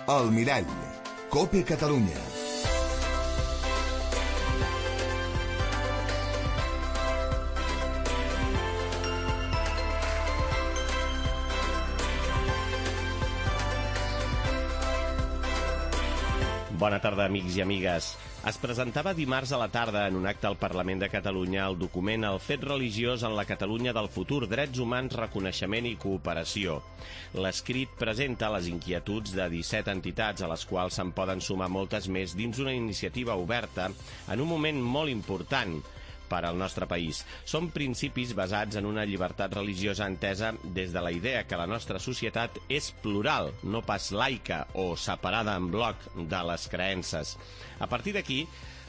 El Mirall, COPE Catalunya. Bona tarda, amics i amigues. Es presentava dimarts a la tarda en un acte al Parlament de Catalunya el document El fet religiós en la Catalunya del futur, drets humans, reconeixement i cooperació. L'escrit presenta les inquietuds de 17 entitats, a les quals se'n poden sumar moltes més dins una iniciativa oberta en un moment molt important per al nostre país. Són principis basats en una llibertat religiosa entesa des de la idea que la nostra societat és plural, no pas laica o separada en bloc de les creences. A partir d'aquí,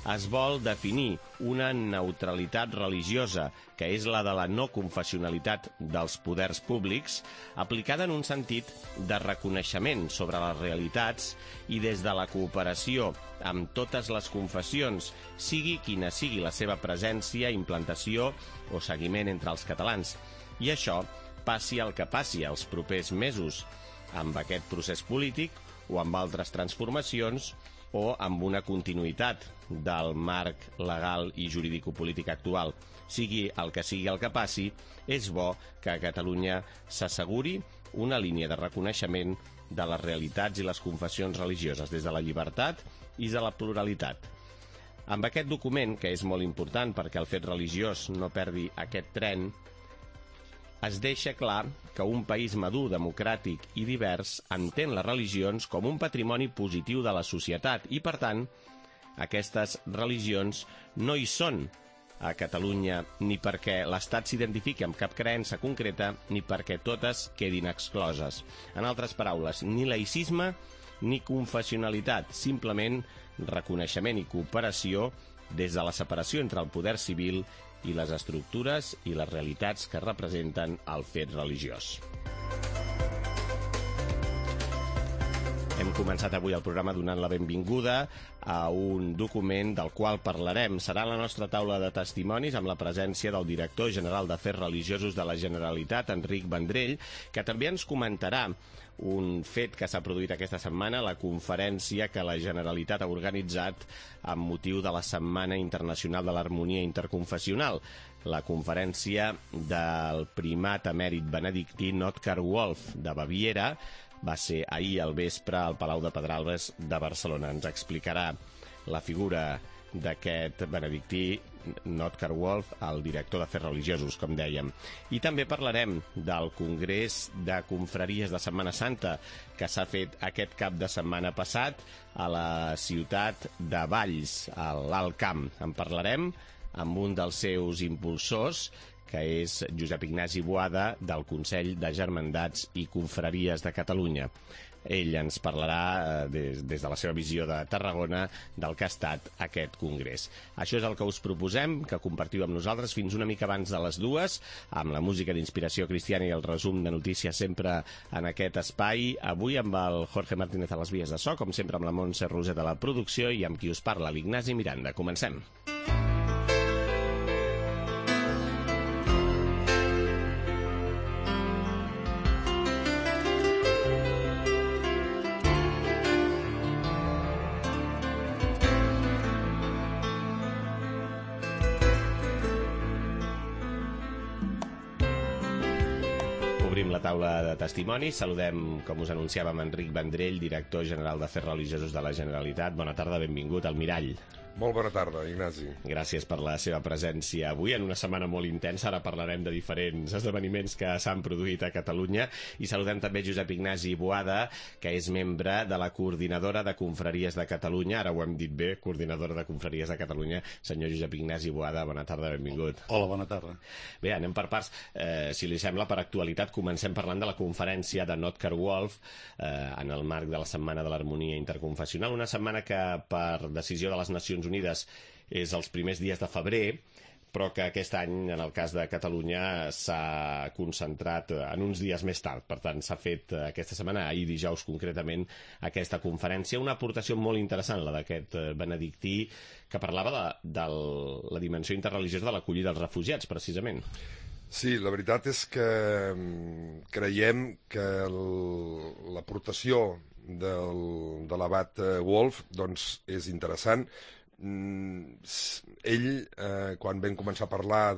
es vol definir una neutralitat religiosa, que és la de la no confessionalitat dels poders públics, aplicada en un sentit de reconeixement sobre les realitats i des de la cooperació amb totes les confessions, sigui quina sigui la seva presència, implantació o seguiment entre els catalans. I això passi el que passi els propers mesos, amb aquest procés polític o amb altres transformacions o amb una continuïtat del marc legal i jurídico-polític actual. Sigui el que passi, és bo que a Catalunya s'asseguri una línia de reconeixement de les realitats i les confessions religioses des de la llibertat i de la pluralitat. Amb aquest document, que és molt important perquè el fet religiós no perdi aquest tren, es deixa clar que un país madur, democràtic i divers entén les religions com un patrimoni positiu de la societat i, per tant, aquestes religions no hi són a Catalunya ni perquè l'Estat s'identifiqui amb cap creença concreta ni perquè totes quedin excloses. En altres paraules, ni laïcisme ni confessionalitat, simplement reconeixement i cooperació des de la separació entre el poder civil i les estructures i les realitats que representen el fet religiós. Hem començat avui el programa donant la benvinguda a un document del qual parlarem. Serà la nostra taula de testimonis amb la presència del director general d'Afers Religiosos de la Generalitat, Enric Vendrell, que també ens comentarà un fet que s'ha produït aquesta setmana, la conferència que la Generalitat ha organitzat amb motiu de la Setmana Internacional de l'Harmonia Interconfessional, la conferència del primat emèrit benedictí Notker Wolf de Baviera. Va ser ahir al vespre al Palau de Pedralbes de Barcelona. Ens explicarà la figura d'aquest benedictí Notker Wolf, el director d'Afers Religiosos, com dèiem. I també parlarem del Congrés de Confraries de Setmana Santa que s'ha fet aquest cap de setmana passat a la ciutat de Valls, a l'Alt Camp. En parlarem amb un dels seus impulsors, que és Josep Ignasi Boada, del Consell de Germandats i Confraries de Catalunya. Ell ens parlarà des de la seva visió de Tarragona del que ha estat aquest congrés. Això és el que us proposem, que compartiu amb nosaltres fins una mica abans de les 2, amb la música d'inspiració cristiana i el resum de notícies sempre en aquest espai. Avui amb el Jorge Martínez a les vies de so, com sempre amb la Montse Roset a la producció i amb qui us parla, l'Ignasi Miranda. Comencem. Obrim la taula de testimonis. Saludem, com us anunciàvem, Enric Vendrell, director general d'Afers Religiosos de la Generalitat. Bona tarda, benvingut al Mirall. Molt bona tarda, Ignasi. Gràcies per la seva presència avui en una setmana molt intensa. Ara parlarem de diferents esdeveniments que s'han produït a Catalunya i saludem també Josep Ignasi Boada, que és membre de la Coordinadora de Confraries de Catalunya. Ara ho hem dit bé, Coordinadora de Confraries de Catalunya. Senyor Josep Ignasi Boada, bona tarda, benvingut. Hola, bona tarda. Bé, anem per parts. Si li sembla, per actualitat, comencem parlant de la conferència de Notker Wolf en el marc de la Setmana de l'Harmonia Interconfessional, una setmana que, per decisió de les Nacions Unides, és els primers dies de febrer, però que aquest any, en el cas de Catalunya, s'ha concentrat en uns dies més tard. Per tant, s'ha fet aquesta setmana, ahir dijous concretament, aquesta conferència. Una aportació molt interessant, la d'aquest benedictí, que parlava de la dimensió interreligiosa de l'acollida dels refugiats, precisament. Sí, la veritat és que creiem que l'aportació de l'abat Wolf doncs, és interessant. Ell, quan vam començar a parlar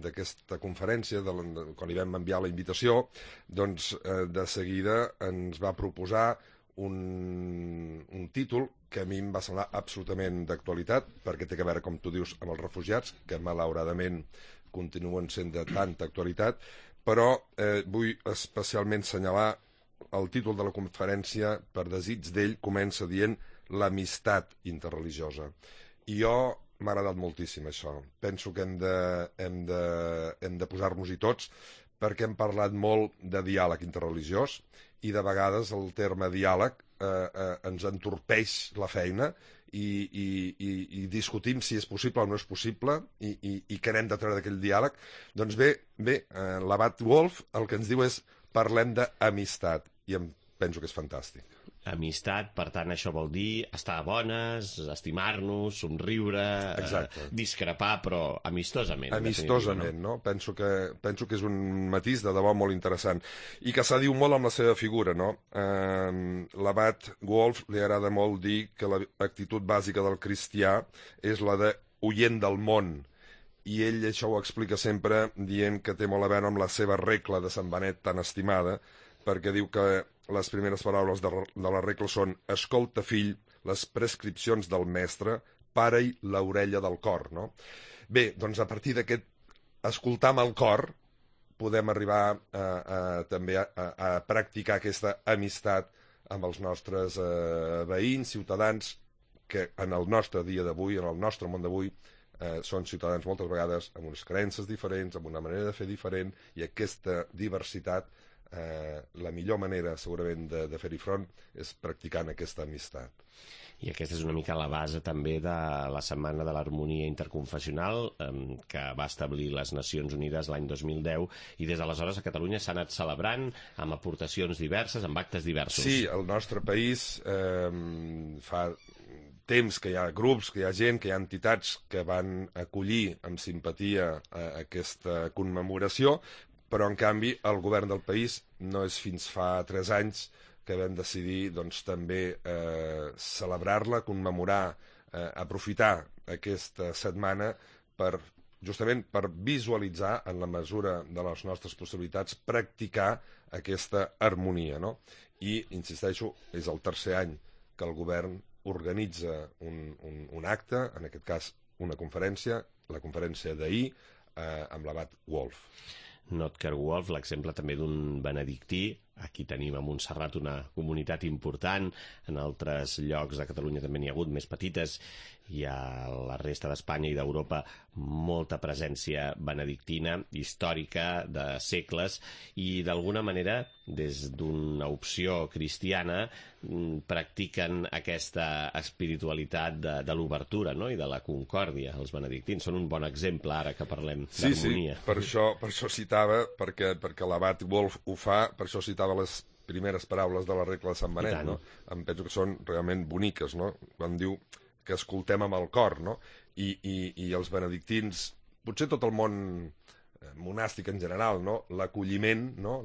d'aquesta conferència, quan li vam enviar la invitació, doncs de seguida ens va proposar un títol que a mi em va semblar absolutament d'actualitat, perquè té a veure, com tu dius, amb els refugiats, que malauradament continuen sent de tanta actualitat, però vull especialment assenyalar el títol de la conferència. Per desig d'ell, comença dient l'amistat interreligiosa. I jo m'ha agradat moltíssim això. Penso que hem de posar-nos-hi tots, perquè hem parlat molt de diàleg interreligiós i de vegades el terme diàleg ens entorpeix la feina i discutim si és possible o no és possible i què n'hem de treure d'aquell diàleg. Doncs bé, l'abat Wolf el que ens diu és parlem d'amistat, i em penso que és fantàstic. Amistat, per tant, això vol dir estar a bones, estimar-nos, somriure, discrepar, però amistosament. Amistosament, no? Penso que és un matís de debò molt interessant i que s'adiu molt amb la seva figura, no? L'abat Wolf li agrada molt dir que l'actitud bàsica del cristià és la de oient del món, i ell això ho explica sempre dient que té molt a veure amb la seva regla de Sant Benet tan estimada, perquè diu que les primeres paraules de la regla són «Escolta, fill, les prescripcions del mestre, para-hi l'orella del cor». No? Bé, doncs a partir d'aquest escoltar amb el cor podem arribar també a practicar aquesta amistat amb els nostres veïns, ciutadans, que en el nostre dia d'avui, en el nostre món d'avui, són ciutadans moltes vegades amb unes creences diferents, amb una manera de fer diferent, i aquesta diversitat, la millor manera segurament de fer-hi front és practicant aquesta amistat. I aquesta és una mica la base també de la Setmana de l'Harmonia Interconfessional que va establir les Nacions Unides l'any 2010, i des d'aleshores a Catalunya s'ha anat celebrant amb aportacions diverses, amb actes diversos. Sí, al nostre país fa temps que hi ha grups, que hi ha gent, que hi ha entitats que van acollir amb simpatia aquesta commemoració, però en canvi el govern del país no és fins fa 3 anys que vam decidir doncs, també celebrar-la, commemorar, aprofitar aquesta setmana justament per visualitzar, en la mesura de les nostres possibilitats, practicar aquesta harmonia. No? I, insisteixo, és el 3è any que el govern organitza un acte, en aquest cas una conferència, la conferència d'ahir, amb l'abat Wolf. Notker Wolf, l'exemple també d'un benedictí. Aquí tenim a Montserrat una comunitat important, en altres llocs de Catalunya també n'hi ha hagut, més petites, i a la resta d'Espanya i d'Europa molta presència benedictina, històrica, de segles, i d'alguna manera, des d'una opció cristiana, practiquen aquesta espiritualitat de l'obertura, no? I de la concòrdia. Els benedictins són un bon exemple ara que parlem d'harmonia. Sí, per això citava, perquè l'abat Wolf ho fa, per això citava les primeres paraules de la regla de Sant Benet, no? Em penso que són realment boniques, no? Quan diu que escoltem amb el cor, no? I els benedictins, potser tot el món monàstic en general, no? L'acolliment, no?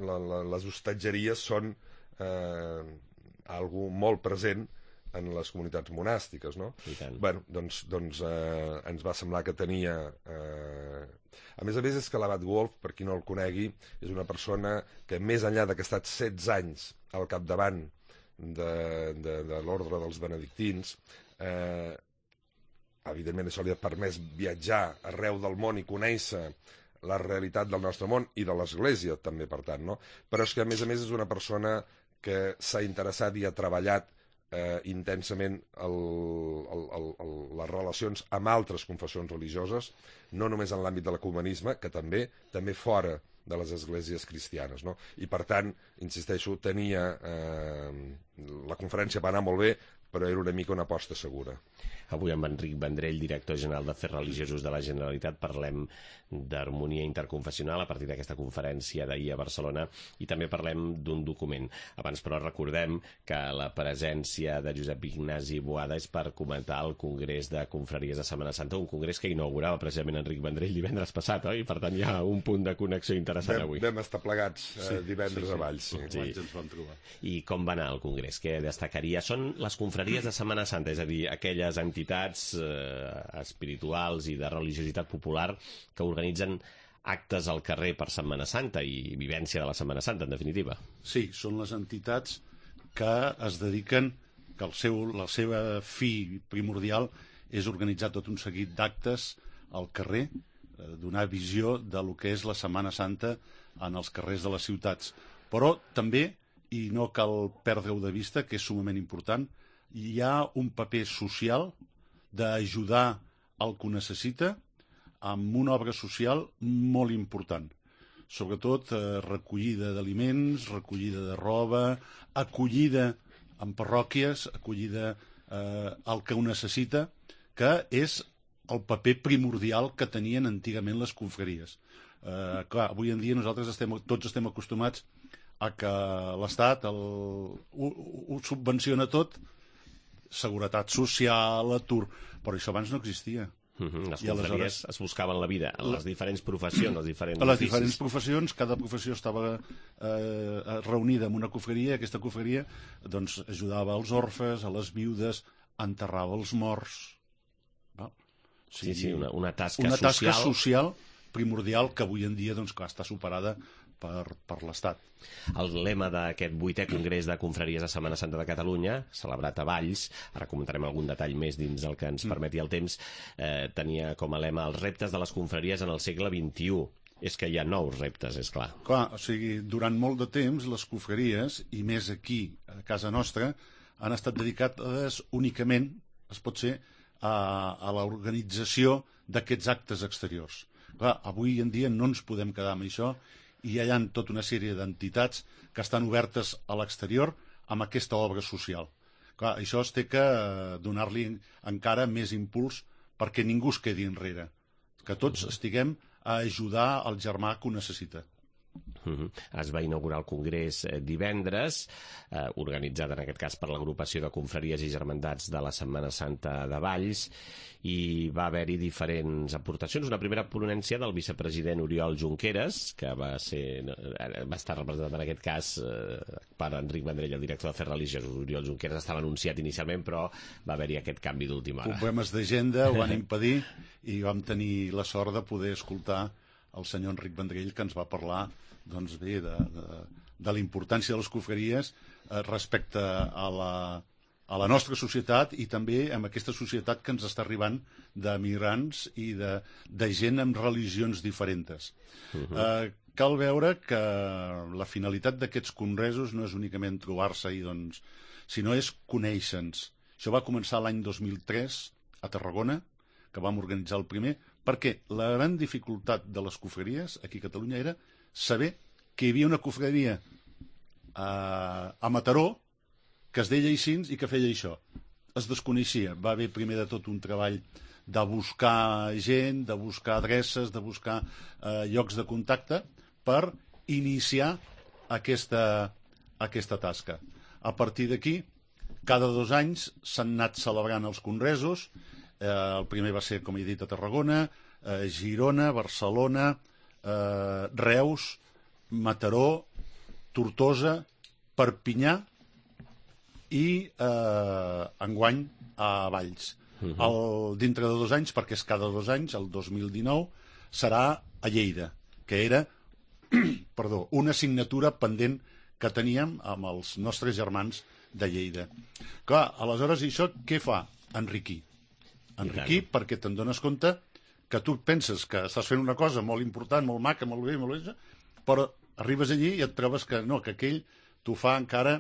Les hostatgeries són algo molt present en les comunitats monàstiques, no? Bueno, doncs ens va semblar que tenia... A més, és que l'abat Wolf, per qui no el conegui, és una persona que, més enllà que ha estat 16 anys al capdavant de l'ordre dels benedictins, evidentment això li ha permès viatjar arreu del món i conèixer la realitat del nostre món i de l'Església també, per tant, no? Però és que, a més, és una persona que s'ha interessat i ha treballat intensament les relacions amb altres confessions religioses, no només en l'àmbit de l'ecumenisme, que també fora de les esglésies cristianes, no? I per tant, insisteixo, la conferència va anar molt bé, però era una mica una aposta segura. Avui amb Enric Vendrell, director general d'Afers Religiosos de la Generalitat, parlem d'harmonia interconfessional a partir d'aquesta conferència d'ahir a Barcelona i també parlem d'un document. Abans, però, recordem que la presència de Josep Ignasi Boada és per comentar el Congrés de Confraries de Setmana Santa, un congrés que inaugurava precisament Enric Vendrell divendres passat, oi? Per tant, hi ha un punt de connexió interessant avui. Vam estar plegats divendres a Valls. Sí. Ens vam trobar. I com va anar el congrés? Què destacaria? Són les confraries de Setmana Santa, és a dir, aquelles entitats espirituals i de religiositat popular que organitzen actes al carrer per Setmana Santa i vivència de la Setmana Santa, en definitiva. Sí, són les entitats que es dediquen, que la seva fi primordial és organitzar tot un seguit d'actes al carrer, donar visió de lo que és la Setmana Santa en els carrers de les ciutats. Però també, i no cal perdre-ho de vista, que és sumament important, hi ha un paper social d'ajudar al que ho necessita amb una obra social molt important. Sobretot recollida d'aliments, recollida de roba, acollida en parròquies, acollida al que ho necessita, que és el paper primordial que tenien antigament les confraries. Clar, avui en dia nosaltres tots estem acostumats a que l'Estat ho subvenciona tot, seguretat social, atur, però això abans no existia. Les confraries es buscaven la vida en les diferents professions, els diferents a les oficis. diferents professions, cada professió estava reunida en una confraria, aquesta confraria doncs, ajudava als orfes, a les viudes, enterrava els morts. Val? Sí, una tasca social primordial que avui en dia doncs, clar, està superada per l'Estat. El lema d'aquest 8è Congrés de Confraries de Setmana Santa de Catalunya, celebrat a Valls, ara comentarem algun detall més dins el que ens permeti el temps, tenia com a lema els reptes de les confraries en el segle XXI. És que hi ha nous reptes, és clar. Clar, o sigui, durant molt de temps les confraries, i més aquí a casa nostra, han estat dedicades únicament, es pot ser, a l'organització d'aquests actes exteriors. Clar, avui en dia no ens podem quedar amb això, i hi ha tota una sèrie d'entitats que estan obertes a l'exterior amb aquesta obra social. Clar, això es té que donar-li encara més impuls perquè ningú es quedi enrere, que tots estiguem a ajudar el germà que ho necessita. Es va inaugurar el Congrés divendres, organitzat en aquest cas per l'agrupació de confraries i germandats de la Setmana Santa de Valls, i va haver-hi diferents aportacions. Una primera ponència del vicepresident Oriol Junqueras, que va estar representat en aquest cas per Enric Vendrell, el director d'Afers Religiosos. Oriol Junqueras estava anunciat inicialment, però va haver-hi aquest canvi d'última hora. Problemes d'agenda ho van impedir i vam tenir la sort de poder escoltar el senyor Enric Vendrell, que ens va parlar doncs bé, de la importància de les confraries respecte a la nostra societat i també amb aquesta societat que ens està arribant de migrants i de gent amb religions diferents. Cal veure que la finalitat d'aquests congressos no és únicament trobar-se, sinó és conèixer-nos. Això va començar l'any 2003 a Tarragona, que vam organitzar el primer, perquè la gran dificultat de les confraries aquí a Catalunya era saber que hi havia una confraria a Mataró que es deia així i que feia això. Es desconeixia. Va haver primer de tot un treball de buscar gent, de buscar adreces, de buscar llocs de contacte per iniciar aquesta tasca. A partir d'aquí, cada 2 anys s'han anat celebrant els congressos. El primer va ser, com he dit, a Tarragona, Girona, Barcelona, Reus, Mataró, Tortosa, Perpinyà i enguany a Valls. Dintre de 2 anys, perquè és cada 2 anys, el 2019, serà a Lleida, que era una assignatura pendent que teníem amb els nostres germans de Lleida. Clar, aleshores això què fa? Enriquir. Enriquir perquè te'n dones compte que tu penses que estàs fent una cosa molt important, molt maca, molt bé, però arribes allí i et trobes que no, que aquell t'ho fa encara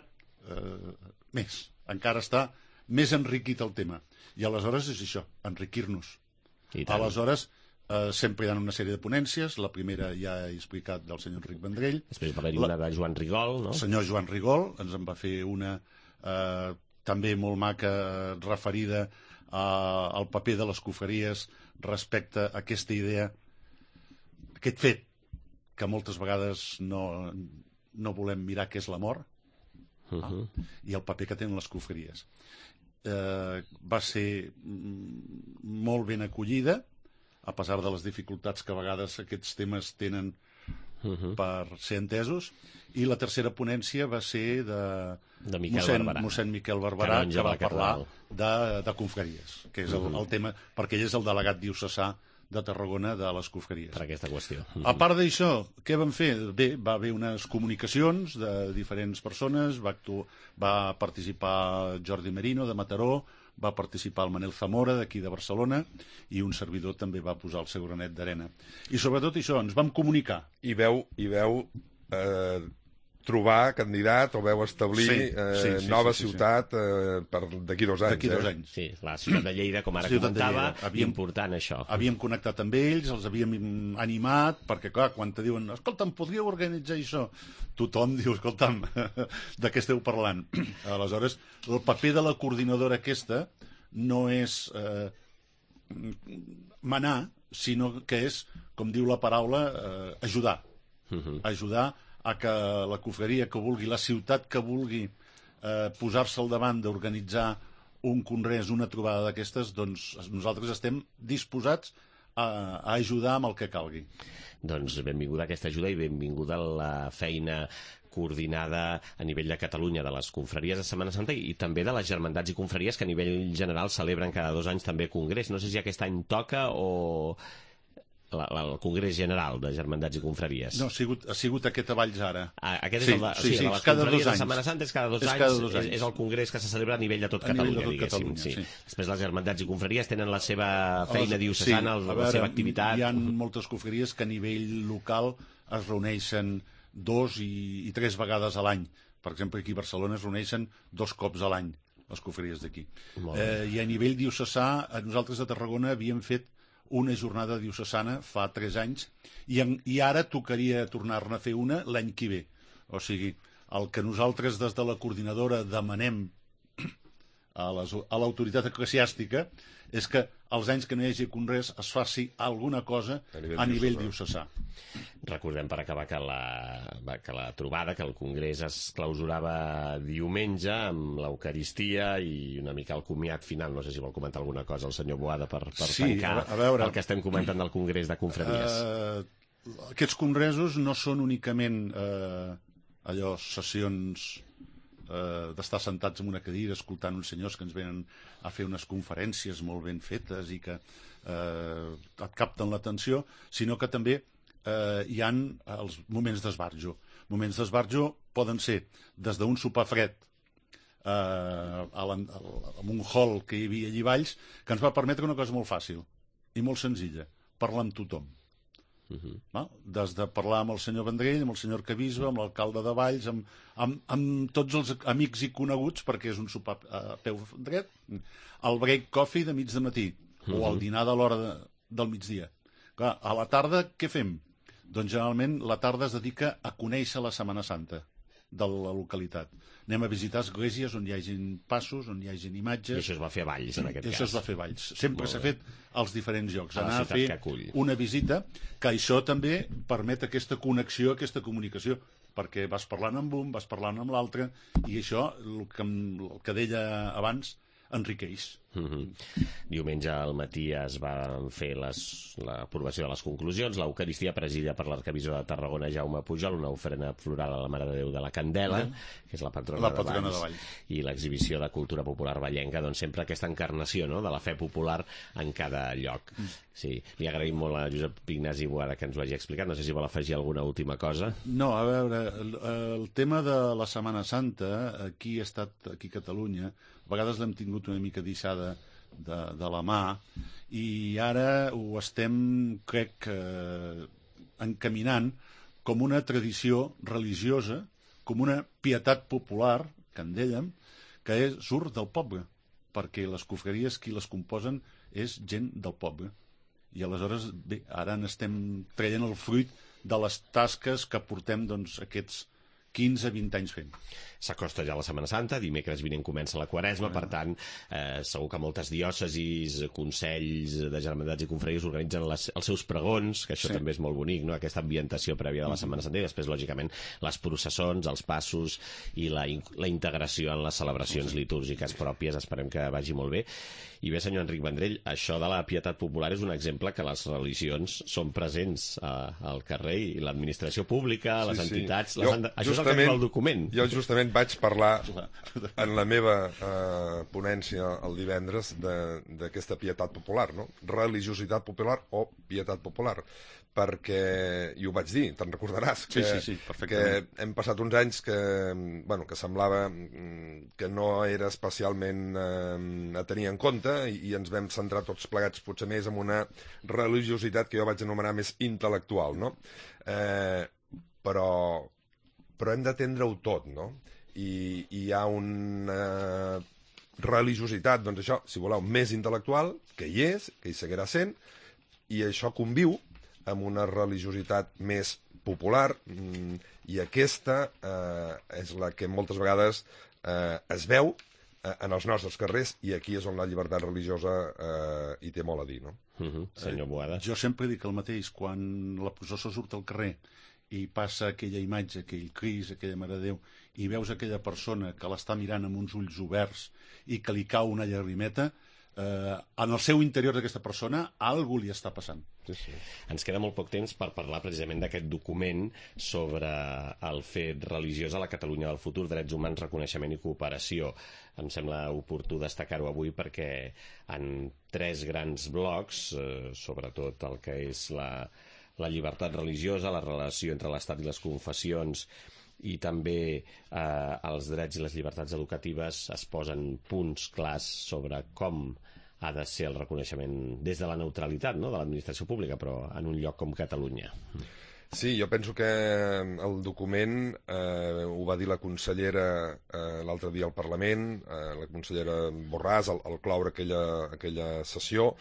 més, encara està més enriquit el tema. I aleshores és això, enriquir-nos. Aleshores, sempre hi ha una sèrie de ponències, la primera ja he explicat del senyor Enric Vendrell. Després va haver-hi una de Joan Rigol, no? El senyor Joan Rigol ens en va fer una també molt maca, referida al paper de les confraries respecte a aquesta idea, aquest fet que moltes vegades no volem mirar què és la mort, i el paper que tenen les confraries. Va ser molt ben acollida, a pesar de les dificultats que a vegades aquests temes tenen per ser entesos, i la tercera ponència va ser de mossèn Miquel Barberà, que va parlar de confraries, que és el tema, perquè ell és el delegat diocesà de Tarragona de les confraries. Per aquesta qüestió. A part d'això, què van fer? Bé, va haver unes comunicacions de diferents persones, va participar Jordi Merino, de Mataró, va participar el Manel Zamora, d'aquí de Barcelona, i un servidor també va posar el seu granet d'arena. I sobretot això, ens vam comunicar. I veu trobar candidat o veu establir nova ciutat d'aquí 2 anys. D'aquí 2 anys. Sí, la ciutat de Lleida, com ara comentava, important això. Havíem connectat amb ells, els havíem animat, perquè clar, quan te diuen, escolta'm, podríeu organitzar això? Tothom diu, escolta'm, de què esteu parlant? Aleshores, el paper de la coordinadora aquesta no és manar, sinó que és, com diu la paraula, ajudar. Ajudar a que la confraria que vulgui, la ciutat que vulgui posar-se al davant d'organitzar un congrés, una trobada d'aquestes, doncs nosaltres estem disposats a ajudar amb el que calgui. Doncs benvinguda aquesta ajuda i benvinguda la feina coordinada a nivell de Catalunya de les confraries de Setmana Santa i també de les germandats i confraries que a nivell general celebren cada 2 anys també congrés. No sé si aquest any toca o el Congrés General de Germandats i Confraries. No, ha sigut aquest a Valls ara. Aquest és el de les confraries de Setmana Santa, és cada 2 anys. És el congrés que se celebra a nivell de tot Catalunya, diguéssim. Després les Germandats i Confraries tenen la seva feina diocesana, la seva activitat. Hi ha moltes confraries que a nivell local es reuneixen 2 i 3 vegades a l'any. Per exemple, aquí a Barcelona es reuneixen 2 cops a l'any, les confraries d'aquí. I a nivell diocesà, nosaltres a Tarragona havíem fet una jornada diocesana fa 3 anys i ara tocaria tornar-ne a fer una l'any que ve. O sigui, el que nosaltres des de la coordinadora demanem a l'autoritat eclesiàstica és que els anys que no hi hagi congrés es faci alguna cosa a nivell diocesà. Recordem per acabar que la trobada, que el congrés es clausurava diumenge amb l'Eucaristia i una mica el comiat final. No sé si vol comentar alguna cosa el senyor Boada per tancar el que estem comentant del congrés de confraries. Aquests congressos no són únicament sessions d'estar sentats en una cadira escoltant uns senyors que ens venen a fer unes conferències molt ben fetes i que et capten l'atenció, sinó que també hi han els moments d'esbarjo. Moments d'esbarjo poden ser des d'un sopar fred en un hall que hi havia allà a Valls, que ens va permetre una cosa molt fàcil i molt senzilla, parlar amb tothom. Des de parlar amb el senyor Vendrell, amb el senyor Arquebisbe, amb l'alcalde de Valls, amb tots els amics i coneguts, perquè és un sopar a peu dret, el break coffee de mig de matí, o el dinar de l'hora del migdia. Clar, a la tarda què fem? Doncs generalment la tarda es dedica a conèixer la Setmana Santa de la localitat. Anem a visitar esglésies on hi hagin passos, on hi hagin imatges. I això es va fer a Valls, en aquest cas. Això es va fer a Valls. Sempre s'ha fet als diferents llocs. Anar a fer una visita, que això també permet aquesta connexió, aquesta comunicació, perquè vas parlant amb un, vas parlant amb l'altre, i això, el que deia abans, enriqueix. Diumenge al matí es va fer l'aprovació de les conclusions, l'Eucaristia presidida per l'arquebisbe de Tarragona, Jaume Pujol, una ofrena floral a la Mare de Déu de la Candela, que és la patrona de Valls, i l'exhibició de cultura popular vallenca, doncs sempre aquesta encarnació de la fe popular en cada lloc. Sí, li agraïm molt a Josep Ignasi Boada que ens ho hagi explicat. No sé si vol afegir alguna última cosa. No, a veure, el tema de la Setmana Santa aquí a Catalunya, a vegades l'hem tingut una mica deixada de la mà, i ara ho estem, crec, encaminant com una tradició religiosa, com una pietat popular, que en dèiem, que surt del poble, perquè les confraries qui les composen és gent del poble. I aleshores, bé, ara n'estem traient el fruit de les tasques que portem aquests 15-20 anys fent. S'acosta ja la Setmana Santa, dimecres vinent comença la Quaresma, per tant, segur que moltes diòcesis, consells de germandats i confraries organitzen els seus pregons, que això també és molt bonic, no? Aquesta ambientació prèvia de la Setmana Santa, i després, lògicament, les processons, els passos i la integració en les celebracions litúrgiques pròpies. Esperem que vagi molt bé. I bé, senyor Enric Vendrell, això de la pietat popular és un exemple que les religions són presents al carrer, i l'administració pública, les entitats... Això és el que diu el document. Jo justament vaig parlar en la meva ponència el divendres d'aquesta pietat popular, no? Religiositat popular o pietat popular, perquè, i ho vaig dir, te'n recordaràs, que hem passat uns anys que semblava que no era especialment a tenir en compte, i ens vam centrar tots plegats potser més en una religiositat que jo vaig anomenar més intel·lectual, no? Però hem d'atendre-ho tot, no? I hi ha una religiositat, doncs això, si voleu, més intel·lectual, que hi és, que hi seguirà sent, i això conviu amb una religiositat més popular, i aquesta és la que moltes vegades es veu en els nostres carrers, i aquí és on la llibertat religiosa hi té molt a dir, no? Senyor Boada. Jo sempre dic el mateix, quan la processó surt al carrer i passa aquella imatge, aquell Crist, aquella Mare de Déu, i veus aquella persona que l'està mirant amb uns ulls oberts i que li cau una llagrimeta, en el seu interior d'aquesta persona alguna li està passant. Sí. Ens queda molt poc temps per parlar precisament d'aquest document sobre el fet religiós a la Catalunya del futur, drets humans, reconeixement i cooperació. Em sembla oportú destacar-ho avui perquè en 3 grans blocs, sobretot el que és la llibertat religiosa, la relació entre l'Estat i les confessions, i també els drets i les llibertats educatives, es posen punts clars sobre com ha de ser el reconeixement des de la neutralitat, no?, de l'administració pública, però en un lloc com Catalunya. Sí, jo penso que el document, ho va dir la consellera l'altre dia al Parlament, la consellera Borràs, al cloure aquella sessió,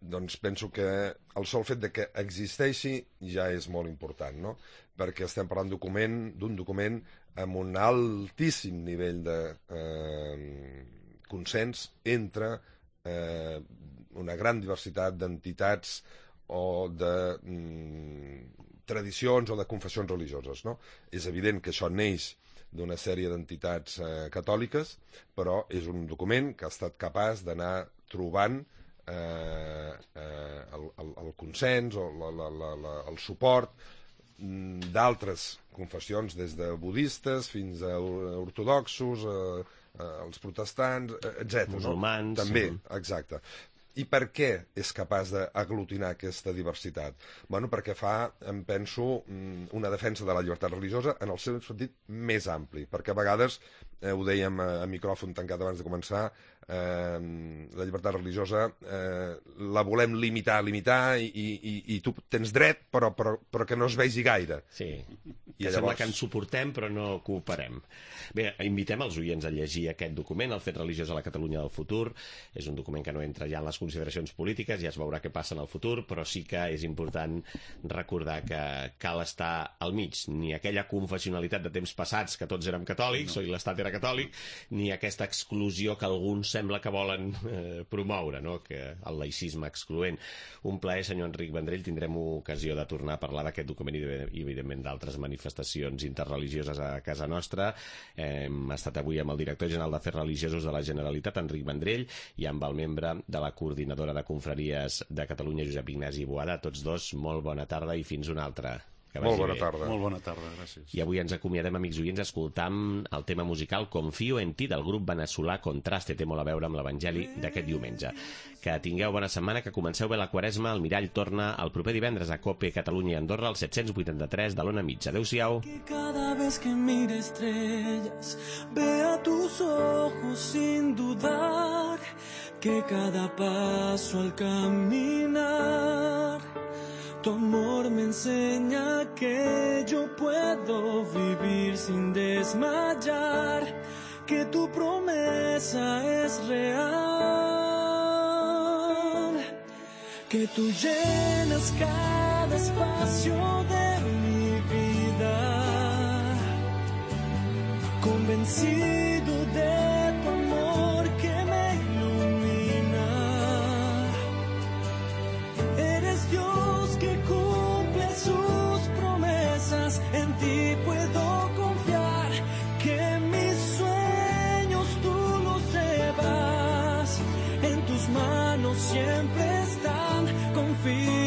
doncs penso que el sol fet de que existeixi ja és molt important, no? Perquè estem parlant d'un document amb un altíssim nivell de consens entre una gran diversitat d'entitats o de tradicions o de confessions religioses, no? És evident que això neix d'una sèrie d'entitats catòliques, però és un document que ha estat capaç d'anar trobant el consens o el suport d'altres confessions, des de budistes fins a ortodoxos, els protestants, etc. Musulmans. També, exacte. I per què és capaç d'aglutinar aquesta diversitat? Bueno, perquè fa, em penso, una defensa de la llibertat religiosa en el seu sentit més ampli, perquè a vegades, ho dèiem a micròfon tancat abans de començar, la llibertat religiosa la volem limitar i tu tens dret però que no es vegi gaire. Sí, que sembla que ens suportem però no cooperem. Bé, invitem els oients a llegir aquest document, el fet religiós a la Catalunya del futur. És un document que no entra ja en les consideracions polítiques, ja es veurà què passa en el futur, però sí que és important recordar que cal estar al mig, ni aquella confessionalitat de temps passats que tots érem catòlics, o l'Estat era catòlic, ni aquesta exclusió que alguns sembla que volen promoure, no?, que el laïcisme excloent. Un plaer, senyor Enric Vendrell. Tindrem ocasió de tornar a parlar d'aquest document i, evidentment, d'altres manifestacions interreligioses a casa nostra. Hem estat avui amb el director general d'Afers Religiosos de la Generalitat, Enric Vendrell, i amb el membre de la Coordinadora de Confraries de Catalunya, Josep Ignasi Boada. Tots dos, molt bona tarda i fins una altra. Molt bona tarda. Molt bona tarda, gràcies. I avui ens acomiadem, amics oients, escoltant el tema musical Confío en ti, del grup veneçolà Contraste. Té molt a veure amb l'Evangeli d'aquest diumenge. Que tingueu bona setmana, que comenceu bé la Quaresma. El Mirall torna el proper divendres a COPE Catalunya i Andorra, al 783 de l'Ona Mitja. Adéu-siau. Que cada vez que mire estrellas vea tus ojos sin dudar, que cada paso al caminar tu amor me enseña que yo puedo vivir sin desmayar, que tu promesa es real, que tú llenas cada espacio de mi vida convencido de tu amor que me ilumina. Eres Dios que cumple sus promesas, en ti puedo confiar, que mis sueños tú los llevas, en tus manos siempre están, confío.